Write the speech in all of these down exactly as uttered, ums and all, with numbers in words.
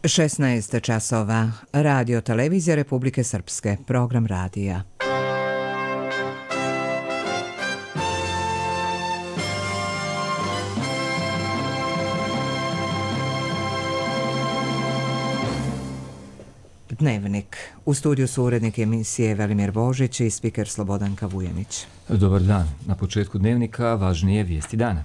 šesnaest časova. Radio Televizija Republike Srpske. Program radija. Dnevnik. U studiju su urednik emisije Velimir Božić i spiker Slobodanka Vujanić. Dobar dan. Na početku dnevnika važnije vijesti dana.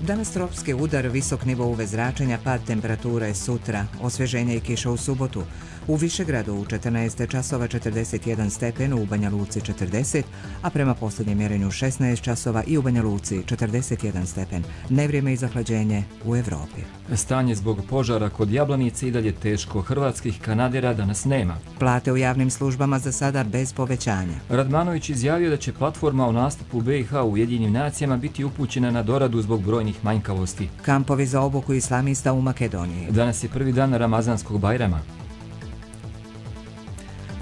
Danas tropski udar, visok nivo U V zračenja, pad temperature sutra, osvježenje i kiša u subotu. U Višegradu u četrnaest časova četrdeset jedan stepen, u Banja Luci četrdeset, a prema posljednjem mjerenju šesnaest časova i u Banja Luci četrdeset jedan stepen. Nevrijeme i zahlađenje u Evropi. Stanje zbog požara kod Jablanice i dalje teško. Hrvatskih kanadera danas nema. Plate u javnim službama za sada bez povećanja. Radmanović izjavio da će platforma o nastupu B i H u Ujedinjenim nacijama biti upućena na doradu zbog brojnih manjkavosti. Kampovi za obuku islamista u Makedoniji. Danas je prvi dan Ramazanskog Bajrama.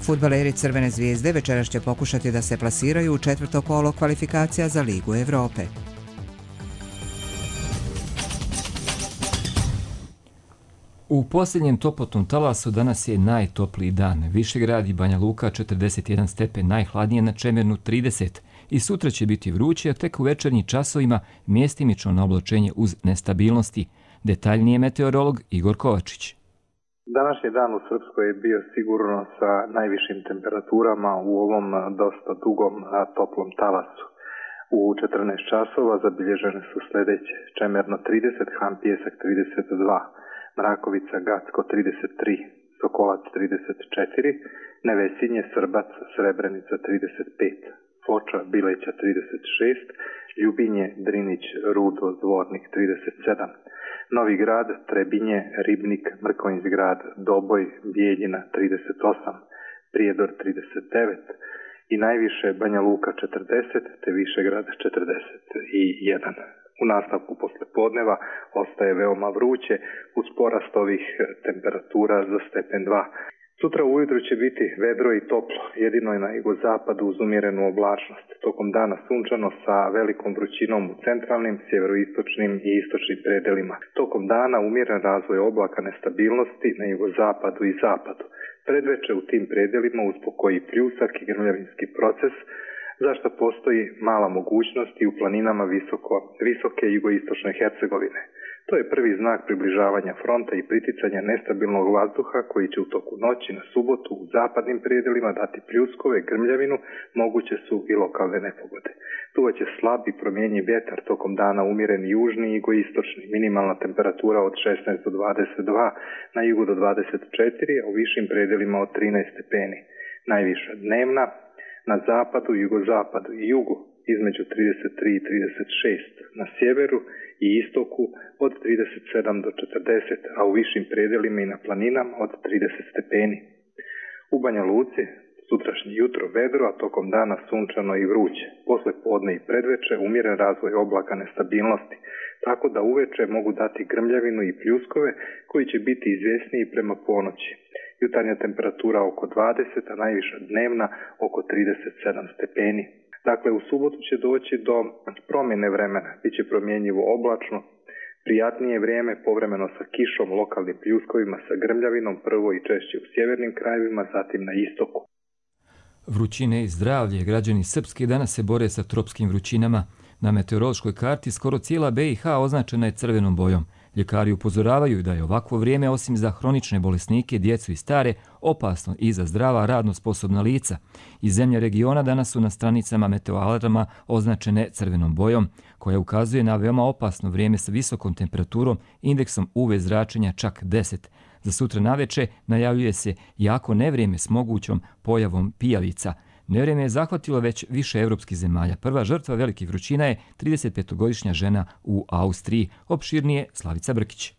Fudbaleri Crvene zvijezde večeras će pokušati da se plasiraju u četvrto kolo kvalifikacija za Ligu Evrope. U posljednjem toplotnom talasu danas je najtopliji dan. Višegrad i Banja Luka četrdeset jedan stepen, najhladnije na Čemernu trideset. I sutra će biti vruće, a tek u večernjim časovima mjestimično na oblačenje uz nestabilnosti. Detaljnije meteorolog Igor Kovačić. Današnji dan u Srpskoj je bio sigurno sa najvišim temperaturama u ovom dosta dugom toplom talasu. U četrnaest časova zabilježene su sljedeće: Čemerno trideset, Han Pijesak trideset dva, Mrakovica Gacko trideset tri, Sokolac trideset četiri, Nevesinje, Srbac, Srebrenica trideset pet, Foča, Bileća trideset šest, Ljubinje, Drinić, Rudo, Zvornik trideset sedam, Novi Grad, Trebinje, Ribnik, Mrkonjić-Grad, Doboj, Bijeljina trideset osam, Prijedor trideset devet i najviše Banja Luka četrdeset te Višegrad četrdeset jedan. U nastavku poslijepodneva ostaje veoma vruće uz porast ovih temperatura za stepen dva. Sutra ujutro će biti vedro i toplo, jedino je na jugozapadu uz umjerenu oblačnost. Tokom dana sunčano sa velikom vrućinom u centralnim, sjeveroistočnim i istočnim predelima. Tokom dana umjeren razvoj oblaka nestabilnosti na jugozapadu i zapadu. Predveče u tim predelima uz pokoji pljusak i grmljavinski proces, zašto postoji mala mogućnost i u planinama visoko, visoke jugoistočne Hercegovine. To je prvi znak približavanja fronta i priticanja nestabilnog vazduha koji će u toku noći na subotu u zapadnim predelima dati pljuskove, grmljavinu, moguće su i lokalne nepogode. Duvaće slab i promjenjiv vjetar, tokom dana umjeren južni i jugoistočni, minimalna temperatura od šesnaest do dvadeset dva, na jugu do dvadeset četiri, a u višim predelima od trinaest stepeni. Najviša dnevna na zapadu, jugozapadu i jugu između trideset tri i trideset šest, na sjeveru i istoku od trideset sedam do četrdeset, a u višim predelima i na planinama od trideset stepeni. U Banja Luci sutrašnje jutro vedro, a tokom dana sunčano i vruće. Posle podne i predveče umjeren razvoj oblaka nestabilnosti, tako da uveče mogu dati grmljavinu i pljuskove koji će biti izvjesniji prema ponoći. Jutarnja temperatura oko dvadeset, a najviša dnevna oko trideset sedam stepeni. Dakle, u subotu će doći do promjene vremena, bit će promjenjivo oblačno, prijatnije vrijeme, povremeno sa kišom, lokalnim pljuskovima, sa grmljavinom, prvo i češće u sjevernim krajevima, zatim na istoku. Vrućine i zdravlje. Građani Srpske danas se bore sa tropskim vrućinama. Na meteorološkoj karti skoro cijela B i H označena je crvenom bojom. Ljekari upozoravaju da je ovakvo vrijeme, osim za hronične bolesnike, djecu i stare, opasno i za zdrava, radno sposobna lica. Iz zemlje regiona danas su na stranicama meteoalarma označene crvenom bojom, koja ukazuje na veoma opasno vrijeme sa visokom temperaturom, indeksom U V zračenja čak deset. Za sutra naveče najavljuje se jako nevrijeme s mogućom pojavom pijavica. Nevrijeme je zahvatilo već više evropskih zemalja. Prva žrtva velikih vrućina je tridesetpetogodišnja žena u Austriji. Opširnije Slavica Brkić.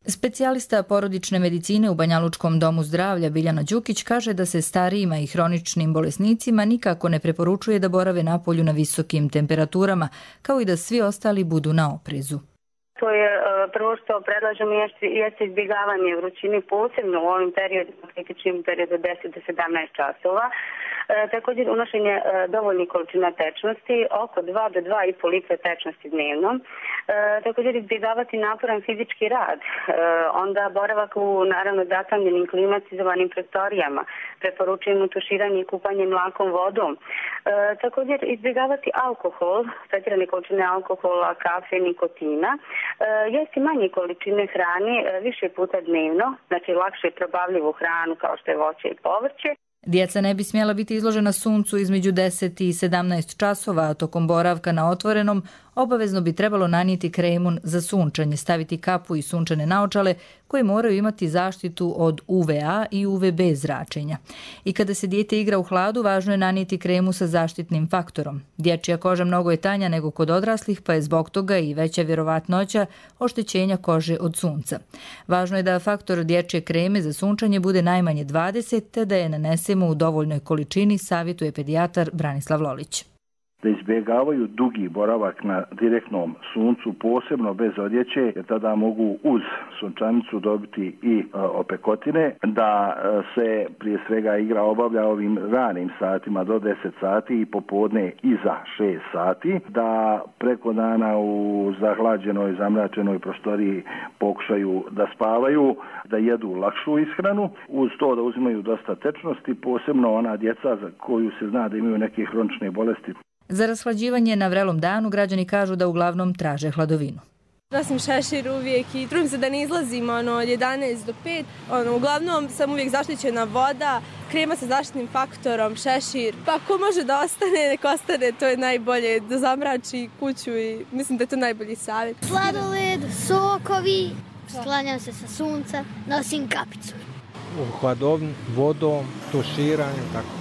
Specijalista porodične medicine u Banjalučkom domu zdravlja Biljana Đukić kaže da se starijima i hroničnim bolesnicima nikako ne preporučuje da borave napolju na visokim temperaturama, kao i da svi ostali budu na oprezu. To je Prvo što predlažemo jeste izbjegavanje vrućine, posebno u ovim periodima, kritičnim periodu od deset do sedamnaest časova. E, također unošenje e, dovoljnih količina tečnosti, oko dva do dva i po litre tečnosti dnevno. E, također izbjegavati naporan fizički rad, e, onda boravak u naravno zatamljenim klimatizovanim prostorijama, preporučujemo tuširanje i kupanje mlakom vodom. E, također izbjegavati alkohol, pretjerane količine alkohola, kafe, nikotina, e, jesti manje količine hrane e, više puta dnevno, znači lakše probavljivu hranu kao što je voće i povrće. Djeca ne bi smjela biti izložena suncu između deset i sedamnaest časova, a tokom boravka na otvorenom obavezno bi trebalo nanijeti kremu za sunčanje, staviti kapu i sunčane naočale koje moraju imati zaštitu od U V A i U V B zračenja. I kada se dijete igra u hladu, važno je nanijeti kremu sa zaštitnim faktorom. Dječja koža mnogo je tanja nego kod odraslih, pa je zbog toga i veća vjerovatnoća oštećenja kože od sunca. Važno je da faktor dječje kreme za sunčanje bude najmanje dvadeset, te da je nanesemo u dovoljnoj količini, savjetuje pedijatar Branislav Lolić. Da izbjegavaju dugi boravak na direktnom suncu, posebno bez odjeće, jer tada mogu uz sunčanicu dobiti i e, opekotine, da e, se prije svega igra obavlja ovim ranim satima do deset sati i popodne iza šest sati, da preko dana u zahlađenoj, zamračenoj prostoriji pokušaju da spavaju, da jedu lakšu ishranu, uz to da uzimaju dosta tečnosti, posebno ona djeca za koju se zna da imaju neke hronične bolesti. Za rashlađivanje na vrelom danu građani kažu da uglavnom traže hladovinu. Nosim šešir uvijek i trudim se da ne izlazim ono, od jedanaest do pet. Ono, uglavnom sam uvijek zaštićena voda, krema sa zaštitnim faktorom, šešir. Pa ko može da ostane, nek ostane, to je najbolje, da zamrači kuću i mislim da je to najbolji savjet. Sladoled, sokovi, sklanjam se sa sunca, nosim kapicu. U hladovni, vodom, tuširanje, tako.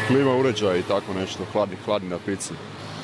Klima uređaj i tako nešto, hladni, hladni napici.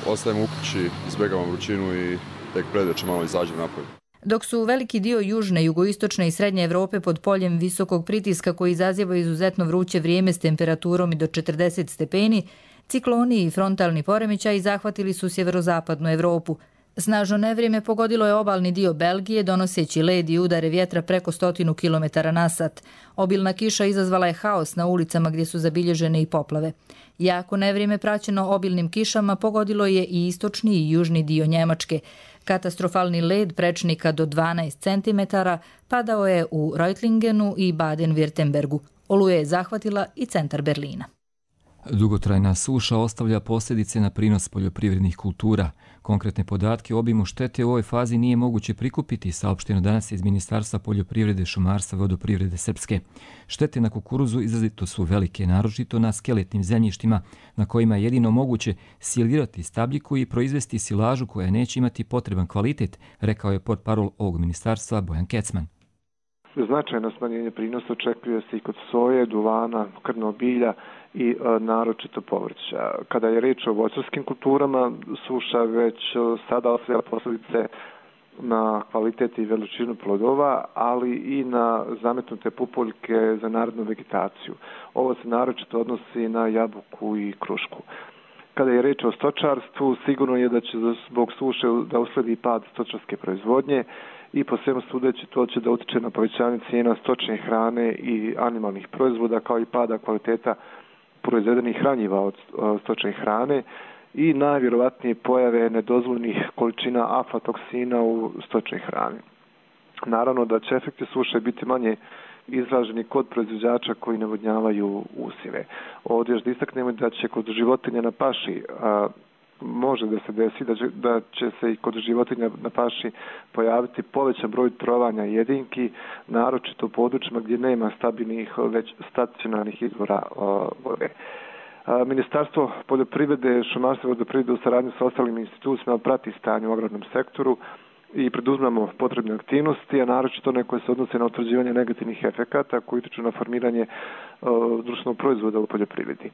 Ostajem u kući, izbjegavam vrućinu i tek predveče malo izađem napolje. Dok su veliki dio južne, jugoistočne i srednje Evrope pod poljem visokog pritiska koji izaziva izuzetno vruće vrijeme s temperaturom i do četrdeset stepeni, cikloni i frontalni poremećaji zahvatili su sjeverozapadnu Evropu. Snažno nevrijeme pogodilo je obalni dio Belgije, donoseći led i udare vjetra preko stotinu kilometara na sat. Obilna kiša izazvala je haos na ulicama gdje su zabilježene i poplave. Jako nevrijeme praćeno obilnim kišama pogodilo je i istočni i južni dio Njemačke. Katastrofalni led prečnika do dvanaest centimetara padao je u Reutlingenu i Baden-Württembergu. Oluja je zahvatila i centar Berlina. Dugotrajna suša ostavlja posljedice na prinos poljoprivrednih kultura. Konkretne podatke o obimu štete u ovoj fazi nije moguće prikupiti, saopšteno danas iz Ministarstva poljoprivrede, šumarstva i vodoprivrede Srpske. Štete na kukuruzu izrazito su velike, naročito na skeletnim zemljištima na kojima je jedino moguće silirati stabljiku i proizvesti silažu koja neće imati potreban kvalitet, rekao je portparol ovog ministarstva Bojan Kecman. Značajno smanjenje prinosa očekuje se i kod soje, duvana, krmnog bilja i e, naročito povrća. Kada je reč o voćarskim kulturama, suša već sada ostavlja posljedice na kvalitet i veličinu plodova, ali i na zametnute pupoljke za narednu vegetaciju. Ovo se naročito odnosi na jabuku i krušku. Kada je reč o stočarstvu, sigurno je da će zbog suše da usledi pad stočarske proizvodnje i po svemu sudeći to će da utiče na povećanje cijena stočne hrane i animalnih proizvoda, kao i pada kvaliteta proizvedenih hranjiva od stočne hrane i najvjerovatnije pojave nedozvoljnih količina aflatoksina u stočnoj hrani. Naravno da će efekti suše biti manje izraženi kod proizvođača koji navodnjavaju usjeve. Ovdje još da istaknemo da će kod životinja na paši a, može da se desi da će, da će se i kod životinja na paši pojaviti povećan broj trovanja jedinki, naročito u područjima gdje nema stabilnih, već stacionarnih izvora a, vode. A, Ministarstvo poljoprivrede, šumarstva i vodoprivrede u saradnji sa ostalim institucijama prati stanje u agrarnom sektoru i preduzmemo potrebne aktivnosti, a naročito one koje se odnose na utvrđivanje negativnih efekata koji utiču na formiranje uh, društvenog proizvoda u poljoprivredi.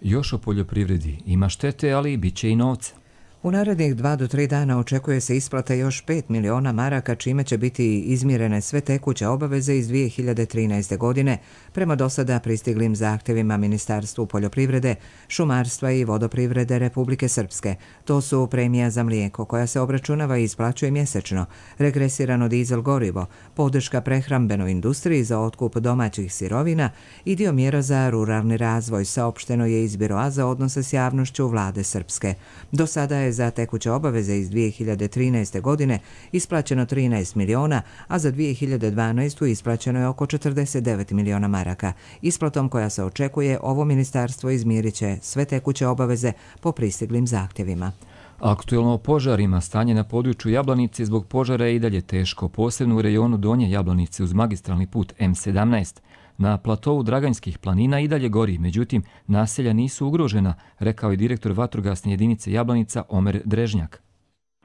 Još o poljoprivredi ima štete, ali i bit će i novca. U narednih dva do tri dana očekuje se isplata još pet miliona maraka, čime će biti izmirene sve tekuće obaveze iz dvije hiljade trinaeste. godine prema dosada pristiglim zahtjevima Ministarstvu poljoprivrede, šumarstva i vodoprivrede Republike Srpske. To su premija za mlijeko koja se obračunava i isplaćuje mjesečno, regresirano dizel gorivo, podrška prehrambenoj industriji za otkup domaćih sirovina i dio mjera za ruralni razvoj, saopšteno je iz Biroa za odnose s javnošću vlade Srpske. Do sada je za tekuće obaveze iz dvije hiljade trinaeste. godine isplaćeno trinaest miliona, a za dvije hiljade dvanaestu. isplaćeno je oko četrdeset devet miliona maraka. Isplatom koja se očekuje, ovo ministarstvo izmirit će sve tekuće obaveze po pristiglim zahtjevima. Aktuelno o požarima, stanje na području Jablanice zbog požara je i dalje teško, posebno u rejonu Donje Jablanice uz magistralni put M sedamnaest. Na platovu Draganjskih planina i dalje gori, međutim, naselja nisu ugrožena, rekao je direktor vatrogasne jedinice Jablanica Omer Drežnjak.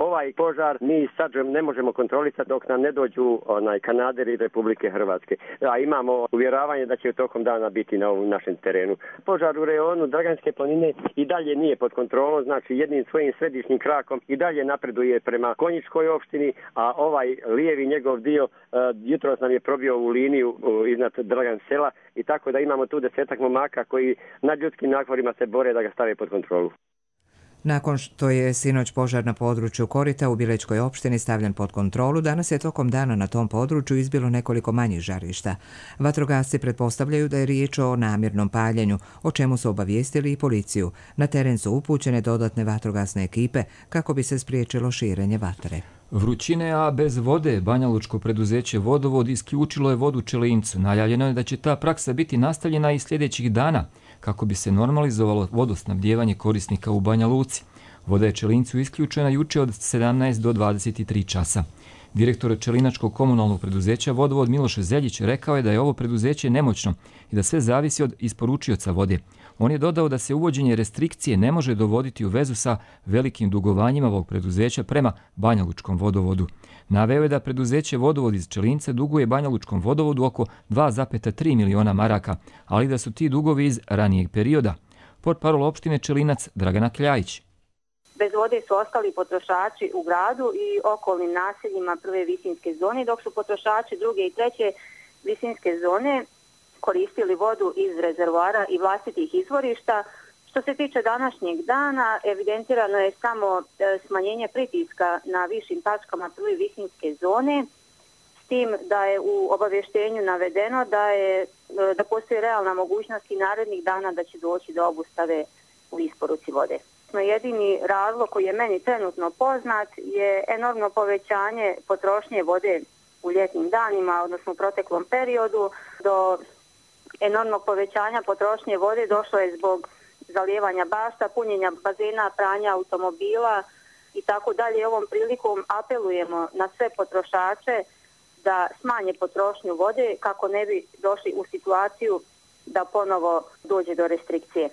Ovaj požar mi sad ne možemo kontrolisati dok nam ne dođu onaj kanaderi Republike Hrvatske. A imamo uvjeravanje da će tokom dana biti na ovom našem terenu. Požar u rejonu Draganjske planine i dalje nije pod kontrolom, znači jednim svojim središnjim krakom i dalje napreduje prema Konjičkoj opštini, a ovaj lijevi njegov dio uh, jutros nam je probio u liniju uh, iznad Dragan sela i tako da imamo tu desetak momaka koji nad ljudskim naporima se bore da ga stave pod kontrolu. Nakon što je sinoć požar na području Korita u Bilećkoj opštini stavljen pod kontrolu, danas je tokom dana na tom području izbilo nekoliko manjih žarišta. Vatrogasci pretpostavljaju da je riječ o namjernom paljenju, o čemu su obavijestili i policiju. Na teren su upućene dodatne vatrogasne ekipe kako bi se spriječilo širenje vatre. Vrućine, a bez vode, banjalučko preduzeće Vodovod isključilo je vodu Čelincu. Najavljeno je da će ta praksa biti nastavljena i sljedećih dana, kako bi se normalizovalo vodosnabdijevanje korisnika u Banja Luci. Voda je Čelincu isključena juče od sedamnaest do dvadeset tri časa. Direktor Čelinačkog komunalnog preduzeća Vodovod Miloš Zeljić rekao je da je ovo preduzeće nemoćno i da sve zavisi od isporučioca vode. On je dodao da se uvođenje restrikcije ne može dovoditi u vezu sa velikim dugovanjima ovog preduzeća prema Banjalučkom vodovodu. Naveo je da preduzeće Vodovod iz Čelinca duguje Banjalučkom vodovodu oko dva zarez tri miliona maraka, ali da su ti dugovi iz ranijeg perioda. Portparol opštine Čelinac Dragana Kljajić. Bez vode su ostali potrošači u gradu i okolnim naseljima prve visinske zone, dok su potrošači druge i treće visinske zone koristili vodu iz rezervoara i vlastitih izvorišta. Što se tiče današnjeg dana, evidentirano je samo smanjenje pritiska na višim tačkama prve visinske zone, s tim da je u obavještenju navedeno da, je, da postoji realna mogućnost i narednih dana da će doći do obustave u isporuci vode. Jedini razlog koji je meni trenutno poznat je enormno povećanje potrošnje vode u ljetnim danima, odnosno u proteklom periodu. Do enormnog povećanja potrošnje vode došlo je zbog zalijevanja bašta, punjenja bazena, pranja automobila i tako dalje. Ovom prilikom apelujemo na sve potrošače da smanje potrošnju vode kako ne bi došli u situaciju da ponovo dođe do restrikcije.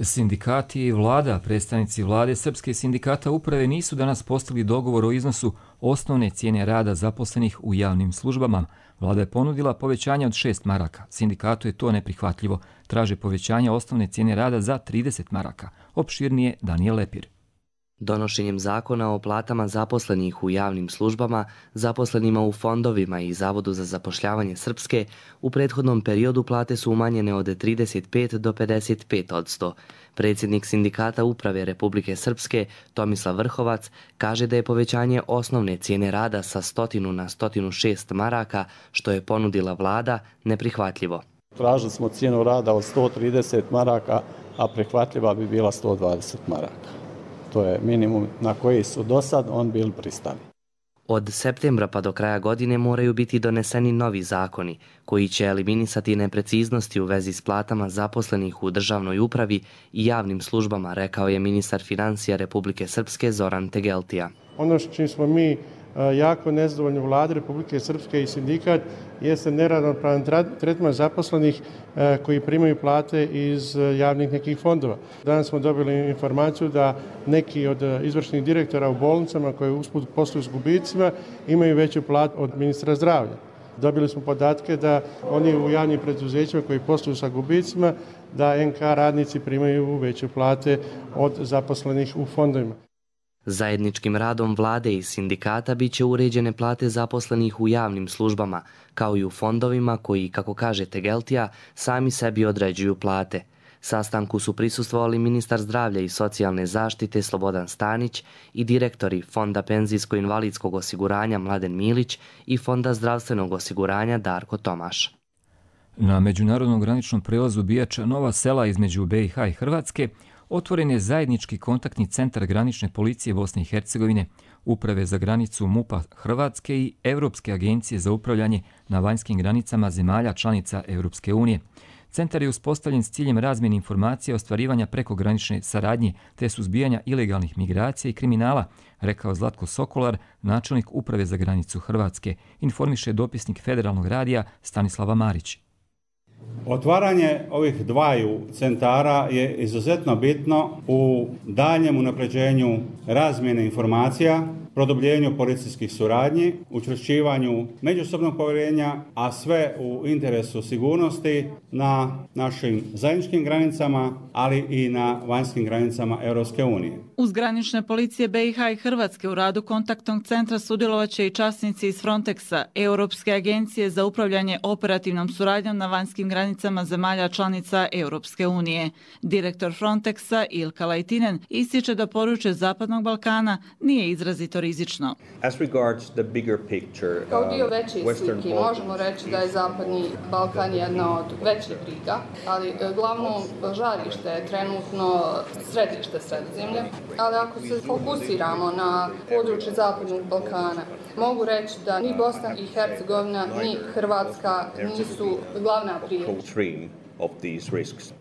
Sindikati i vlada, predstavnici vlade Srpske sindikata uprave nisu danas postigli dogovor o iznosu osnovne cijene rada zaposlenih u javnim službama. Vlada je ponudila povećanje od šest maraka. Sindikatu je to neprihvatljivo. Traže povećanje osnovne cijene rada za trideset maraka. Opširnije Danijel Lepir. Donošenjem zakona o platama zaposlenih u javnim službama, zaposlenima u fondovima i Zavodu za zapošljavanje Srpske, u prethodnom periodu plate su umanjene od trideset pet do pedeset pet odsto. Predsjednik sindikata uprave Republike Srpske, Tomislav Vrhovac, kaže da je povećanje osnovne cijene rada sa stotinu na stotinu šest maraka, što je ponudila vlada, neprihvatljivo. Tražili smo cijenu rada od sto trideset maraka, a prihvatljiva bi bila sto dvadeset maraka. To je minimum na koji su do sad on bili pristani. Od septembra pa do kraja godine moraju biti doneseni novi zakoni koji će eliminisati nepreciznosti u vezi s platama zaposlenih u državnoj upravi i javnim službama, rekao je ministar financija Republike Srpske Zoran Tegeltija. Ono što čim smo mi jako nezadovoljni vlade Republike Srpske i sindikat jeste neravnopravan tretman zaposlenih koji primaju plate iz javnih nekih fondova. Danas smo dobili informaciju da neki od izvršnih direktora u bolnicama koji usput posluju s gubicima imaju veću platu od ministra zdravlja. Dobili smo podatke da oni u javnim preduzećima koji posluju sa gubicima, da en ka radnici primaju veće plate od zaposlenih u fondovima. Zajedničkim radom vlade i sindikata bit će uređene plate zaposlenih u javnim službama, kao i u fondovima koji, kako kaže Tegeltija, sami sebi određuju plate. Sastanku su prisustvovali ministar zdravlja i socijalne zaštite Slobodan Stanić i direktori Fonda penzijsko-invalidskog osiguranja Mladen Milić i Fonda zdravstvenog osiguranja Darko Tomaš. Na međunarodnom graničnom prelazu Bijača Nova Sela između be i ha i Hrvatske otvoren je zajednički kontaktni centar granične policije Bosne i Hercegovine, Uprave za granicu MUP-a Hrvatske i Europske agencije za upravljanje na vanjskim granicama zemalja članica Europske unije. Centar je uspostavljen s ciljem razmjene informacija o ostvarivanja prekogranične saradnje te suzbijanja ilegalnih migracija i kriminala, rekao Zlatko Sokolar, načelnik Uprave za granicu Hrvatske, informiše dopisnik Federalnog radija Stanislava Marić. Otvaranje ovih dvaju centara je izuzetno bitno u daljem unapređenju razmjene informacija, produbljenju policijskih suradnji, učvršćivanju međusobnog povjerenja, a sve u interesu sigurnosti na našim zajedničkim granicama, ali i na vanjskim granicama Europske unije. Uz granične policije be i ha i Hrvatske u radu kontaktnog centra sudjelovaće i časnici iz Frontexa, Europske agencije za upravljanje operativnom suradnjom na vanjskim granicama zemalja članica Europske unije. Direktor Frontexa Ilka Laitinen ističe da područje Zapadnog Balkana nije izrazito rizično. Kao dio veće slike možemo reći da je Zapadni Balkan jedna od većih briga, ali glavno žarište je trenutno središte Sredozemlja. Ali ako se fokusiramo na područje Zapadnog Balkana, mogu reći da ni Bosna i Hercegovina ni Hrvatska nisu glavna prijetnja.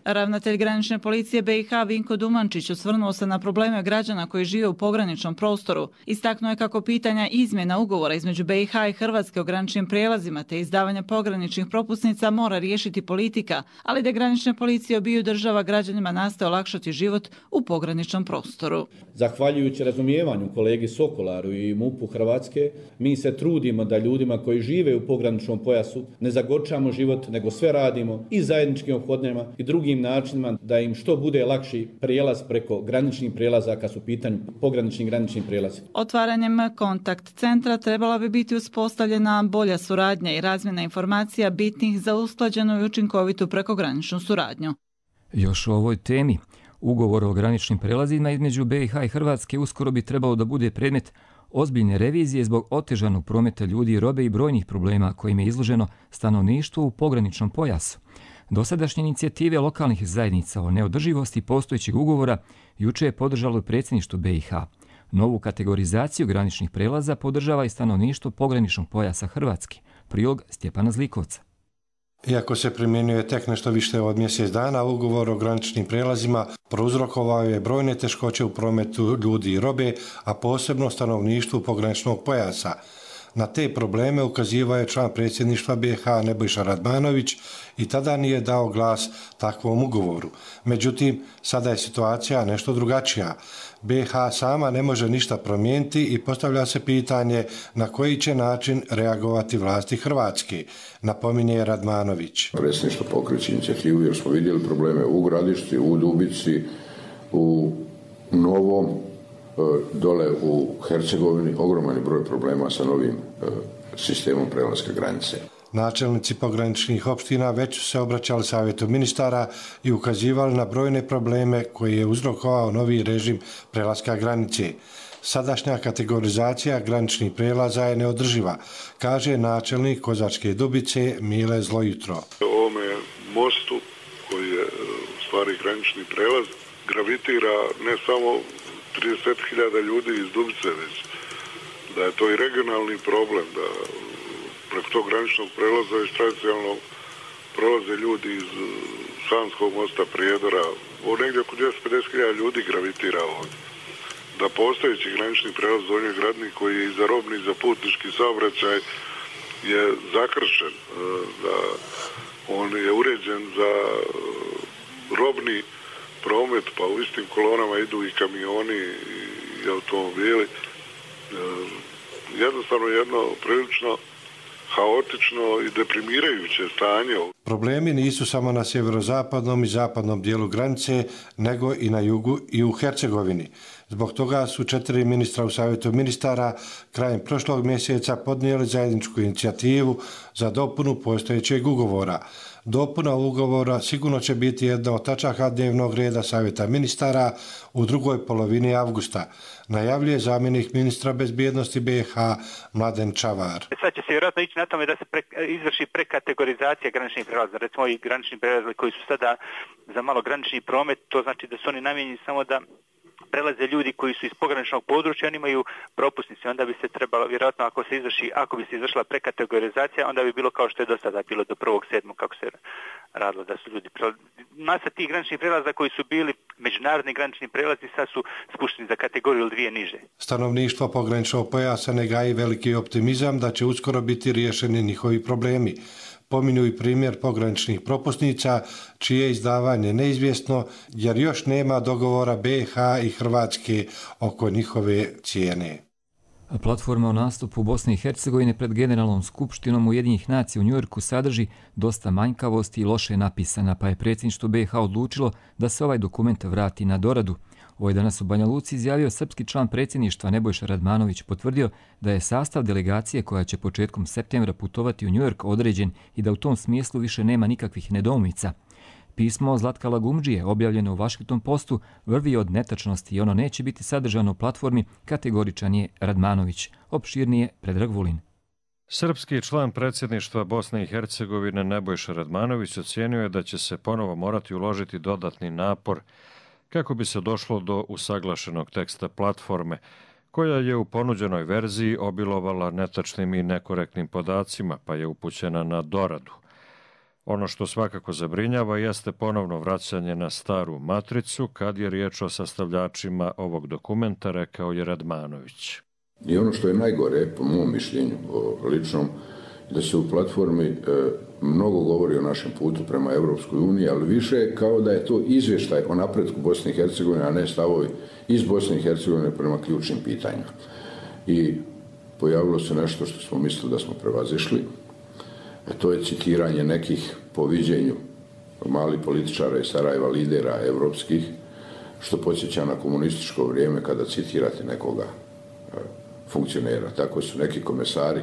Ravnatelj granične policije be i ha Vinko Dumančić osvrnuo se na probleme građana koji žive u pograničnom prostoru. Istaknuo je kako pitanja izmjena ugovora između be i ha i Hrvatske o graničnim prijelazima te izdavanja pograničnih propusnica mora riješiti politika, ali da granične policije obiju država građanima nastoje olakšati život u pograničnom prostoru. Zahvaljujući razumijevanju kolegi Sokolaru i MUP-u Hrvatske, mi se trudimo da ljudima koji žive u pograničnom pojasu ne zagorčamo život, nego sve radimo i zajednički ophodnjama i drugim načinima da im što bude lakši prijelaz preko graničnih prijelaza kad su u pitanju pogranični granični prijelazi. Otvaranjem kontakt centra trebala bi biti uspostavljena bolja suradnja i razmjena informacija bitnih za usklađenu i učinkovitu prekograničnu suradnju. Još o ovoj temi. Ugovor o graničnim prelazima između be i ha i Hrvatske uskoro bi trebalo da bude predmet ozbiljne revizije zbog otežanog prometa ljudi i robe i brojnih problema kojim je izloženo stanovništvo u pograničnom pojasu. Dosadašnje inicijative lokalnih zajednica o neodrživosti postojećeg ugovora juče je podržalo predsjedništvo be i ha. Novu kategorizaciju graničnih prelaza podržava i stanovništvo pograničnog pojasa Hrvatske. Prilog Stjepana Zlikovca. Iako se primjenjuje tek nešto više od mjesec dana, ugovor o graničnim prijelazima prouzrokovao je brojne teškoće u prometu ljudi i robe, a posebno stanovništvu pograničnog pojasa. Na te probleme ukazivao je član predsjedništva be i ha Nebojša Radmanović i tada nije dao glas takvom ugovoru. Međutim, sada je situacija nešto drugačija. be i ha sama ne može ništa promijeniti i postavlja se pitanje na koji će način reagovati vlasti Hrvatske, napominje Radmanović. Predsjedništvo pokreće inicijativu jer smo vidjeli probleme u Gradišti, u Dubici, u Novom, dole u Hercegovini, ogroman broj problema sa novim sistemom prelaska granice. Načelnici pograničnih opština već su se obraćali savjetu ministara i ukazivali na brojne probleme koje je uzrokovao novi režim prelaska granice. Sadašnja kategorizacija graničnih prelaza je neodrživa, kaže načelnik Kozačke Dubice Mile Zlojutro. Ovome mostu koji je u stvari granični prelaz gravitira ne samo trideset hiljada ljudi iz Dubice, već da je to i regionalni problem, da preko tog graničnog prelaza već tradicionalno prolaze ljudi iz Sanskog mosta, Prijedora, o negdje oko dvjesto pedeset hiljada ljudi gravitira ovdje. Da postojeći granični prelaz Donji Gradnik koji je i za robni i za putnički saobraćaj je zakršen, da on je uređen za robni promet, pa u istim kolonama idu i kamioni i automobili. Jednostavno jedno prilično haotično i deprimirajuće stanje. Problemi nisu samo na sjeverozapadnom i zapadnom dijelu granice, nego i na jugu i u Hercegovini. Zbog toga su četiri ministra u Savjetu ministara krajem prošlog mjeseca podnijeli zajedničku inicijativu za dopunu postojećeg ugovora. Dopuna ugovora sigurno će biti jedna od tačaka dnevnog reda Savjeta ministara u drugoj polovini avgusta, najavljuje zamjenik ministra bezbjednosti B i H Mladen Čavar. Sad će se vjerojatno ići na tome da se pre, izvrši prekategorizacija graničnih prelaza. Recimo i granični prelazi koji su sada za malo granični promet, to znači da su oni namijenjeni samo da prelaze ljudi koji su iz pograničnog područja, oni imaju propusnice, onda bi se trebalo, vjerojatno ako se izvrši, ako bi se izvršila prekategorizacija, onda bi bilo kao što je do sada bilo do prvog sedmog kako se radilo da su ljudi prelazi. Masa tih graničnih prelaza koji su bili međunarodni granični prelazi sad su spušteni za kategoriju ili dvije niže. Stanovništvo pograničnog pojasa ne gaji veliki optimizam da će uskoro biti riješeni njihovi problemi. Pominju i primjer pograničnih propusnica, čije izdavanje neizvjesno, jer još nema dogovora B i H i Hrvatske oko njihove cijene. Platforma o nastupu Bosne i Hercegovine pred Generalnom skupštinom Ujedinjenih nacija u Njujorku sadrži dosta manjkavosti i loše napisana, pa je predsjedništvo B i H odlučilo da se ovaj dokument vrati na doradu. Ovo je danas u Banja Luci izjavio srpski član predsjedništva Nebojša Radmanović, potvrdio da je sastav delegacije koja će početkom septembra putovati u Njujork određen i da u tom smislu više nema nikakvih nedoumica. Pismo Zlatka Lagumdžije, objavljeno u Washington Postu, vrvi od netačnosti i ono neće biti sadržano u platformi, kategoričan je Radmanović. Opširnije Predrag Vulin. Srpski član predsjedništva Bosne i Hercegovine Nebojša Radmanović ocijenio je da će se ponovo morati uložiti dodatni napor kako bi se došlo do usaglašenog teksta platforme, koja je u ponuđenoj verziji obilovala netačnim i nekorektnim podacima, pa je upućena na doradu. Ono što svakako zabrinjava jeste ponovno vraćanje na staru matricu kad je riječ o sastavljačima ovog dokumenta, rekao je Radmanović. I ono što je najgore, po mom mišljenju o ličnom, da se u platformi e, mnogo govori o našem putu prema Evropskoj uniji, ali više kao da je to izvještaj o napretku Bosne i Hercegovine, a ne stavovi iz Bosne i Hercegovine prema ključnim pitanjima. I pojavilo se nešto što smo mislili da smo prevazišli, a to je citiranje nekih po viđenju malih političara iz Sarajeva, lidera evropskih, što podsjeća na komunističko vrijeme kada citirate nekoga e, funkcionera. Tako su neki komesari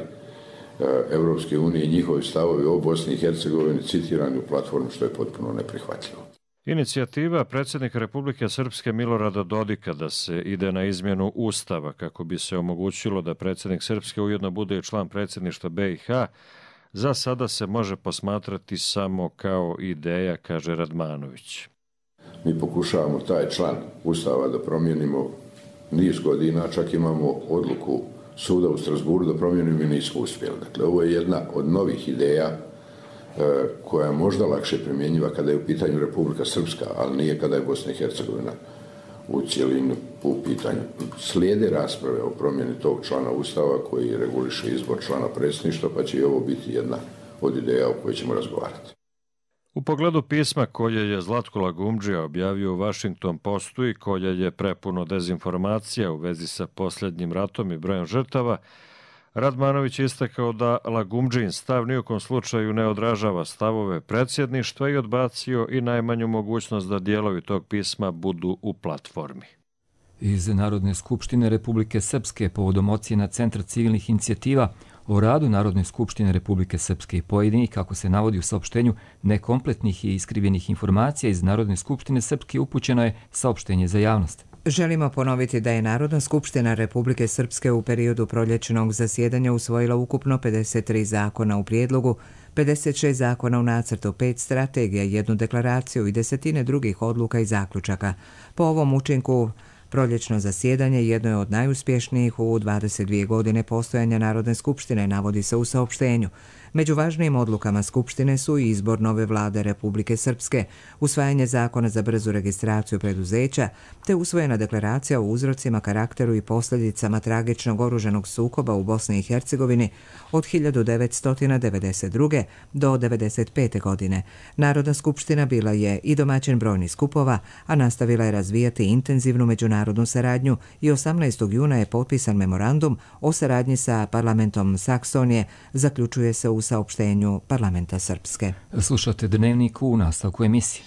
Evropske unije i njihovi stavovi o Bosni i Hercegovini citirani u platformu, što je potpuno neprihvatljivo. Inicijativa predsjednika Republike Srpske Milorada Dodika da se ide na izmjenu Ustava kako bi se omogućilo da predsjednik Srpske ujedno bude i član predsjedništva B i H, za sada se može posmatrati samo kao ideja, kaže Radmanović. Mi pokušavamo taj član Ustava da promijenimo niz godina, čak imamo odluku suda u Strasburu da promijenimo i nismo uspjeli. Dakle, ovo je jedna od novih ideja e, koja je možda lakše primjenjiva kada je u pitanju Republika Srpska, ali nije kada je Bosna i Hercegovina u cijelinu u pitanju. Slijede rasprave o promjeni tog člana Ustava koji reguliše izbor člana predsjedništva, pa će i ovo biti jedna od ideja o kojoj ćemo razgovarati. U pogledu pisma koje je Zlatko Lagumdžija objavio u Washington Postu i koje je prepuno dezinformacija u vezi sa posljednjim ratom i brojem žrtava, Radmanović je istakao da Lagumdžijin stav nijekom slučaju ne odražava stavove predsjedništva i odbacio i najmanju mogućnost da dijelovi tog pisma budu u platformi. Iz Narodne skupštine Republike Srpske povodom ocjena Centra civilnih inicijativa o radu Narodne skupštine Republike Srpske i pojedinih, kako se navodi u saopštenju, nekompletnih i iskrivljenih informacija iz Narodne skupštine Srpske upućeno je saopštenje za javnost. Želimo ponoviti da je Narodna skupština Republike Srpske u periodu proljećnog zasjedanja usvojila ukupno pedeset tri zakona u prijedlogu, pedeset šest zakona u nacrtu, pet strategija, jednu deklaraciju i desetine drugih odluka i zaključaka. Po ovom učinku, proljećno zasjedanje jedno je od najuspješnijih u dvadeset dvije godine postojanja Narodne skupštine, navodi se u saopštenju. Među važnijim odlukama Skupštine su i izbor nove vlade Republike Srpske, usvajanje zakona za brzu registraciju preduzeća, te usvojena deklaracija o uzrocima, karakteru i posljedicama tragičnog oružanog sukoba u Bosni i Hercegovini od hiljadu devetsto devedeset druge do devedeset pete. godine. Narodna skupština bila je i domaćin brojnih skupova, a nastavila je razvijati intenzivnu međunarodnu saradnju i osamnaestog juna je potpisan memorandum o saradnji sa parlamentom Saksonije, zaključuje se u saopštenju parlamenta Srpske. Slušate Dnevnik u nastavku emisije.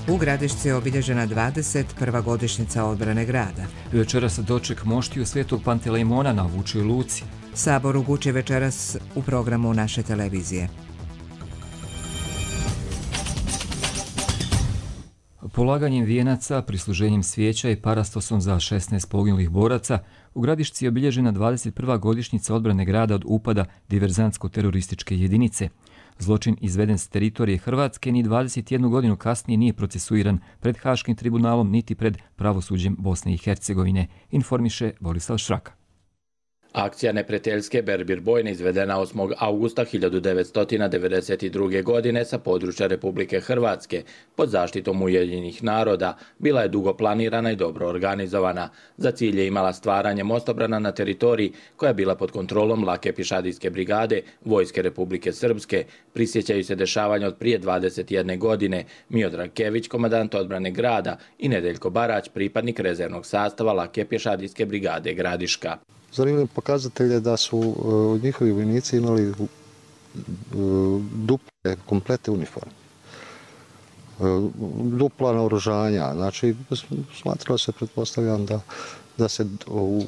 U Gradišci je obilježena dvadeset prva godišnjica odbrane grada. Večeras doček moštiju Svetog Pantelejmona na Vučjoj luci. Sabor u Guči večeras u programu naše televizije. Polaganjem vijenaca, prisluženjem svijeća i parastosom za šesnaest poginulih boraca, u Gradišci je obilježena dvadeset prva godišnjica odbrane grada od upada diverzantsko-terorističke jedinice. Zločin izveden s teritorije Hrvatske ni dvadeset jednu godinu kasnije nije procesuiran pred Haškim tribunalom niti pred pravosuđem Bosne i Hercegovine, informiše Borislav Šraka. Akcija neprijateljske Berbir bojne izvedena osmog augusta hiljadu devetsto devedeset druge. godine sa područja Republike Hrvatske pod zaštitom Ujedinjenih naroda bila je dugo planirana i dobro organizovana. Za cilj je imala stvaranje mostobrana na teritoriji koja je bila pod kontrolom lake pišadijske brigade Vojske Republike Srpske. Prisjećaju se dešavanja od prije dvadeset jedne. godine. Miodrag Kević, komandant odbrane grada, i Nedeljko Barać, pripadnik rezervnog sastava lake pješadijske brigade Gradiška. Zanimljiv pokazatelj je da su uh, njihovi vojnici imali uh, duple, komplete uniforme. Uh, dupla naoružanja, znači smatralo se, pretpostavljam, da, da se u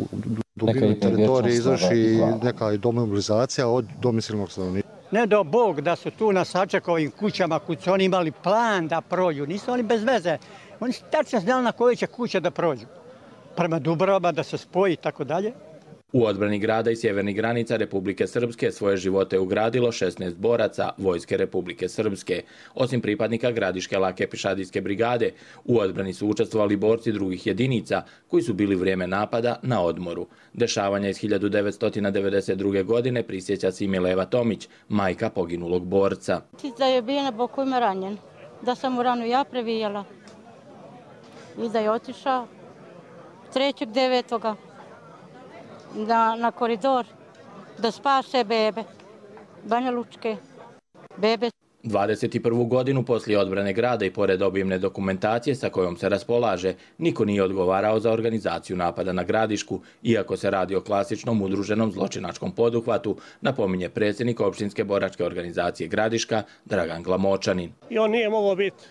dubini teritorije izvrši neka demobilizacija od domicilnog stanovnika. Ne do Bog da su tu na Sačekovim kućama, kud su oni imali plan da prođu. Nisu oni bez veze. Oni su tačno znali na koje će kuće da prođu. Prema Dubrovama da se spoji i tako dalje. U odbrani grada i sjevernih granica Republike Srpske svoje živote ugradilo šesnaest boraca Vojske Republike Srpske. Osim pripadnika Gradiške lake pješadijske brigade, u odbrani su učestvovali borci drugih jedinica koji su bili vrijeme napada na odmoru. Dešavanja iz hiljadu devetsto devedeset druge. godine prisjeća se i Mileva Tomić, majka poginulog borca. Da je bio na boku ima ranjen, da sam mu ranu ja previjala i da je otišao trećeg devetoga Na, na koridor da spase bebe, Banja Lučke, bebe. dvadeset prvu. godinu poslije odbrane grada i pored obimne dokumentacije sa kojom se raspolaže, niko nije odgovarao za organizaciju napada na Gradišku, iako se radi o klasičnom udruženom zločinačkom poduhvatu, napominje predsjednik opštinske boračke organizacije Gradiška, Dragan Glamočanin. I on nije mogao biti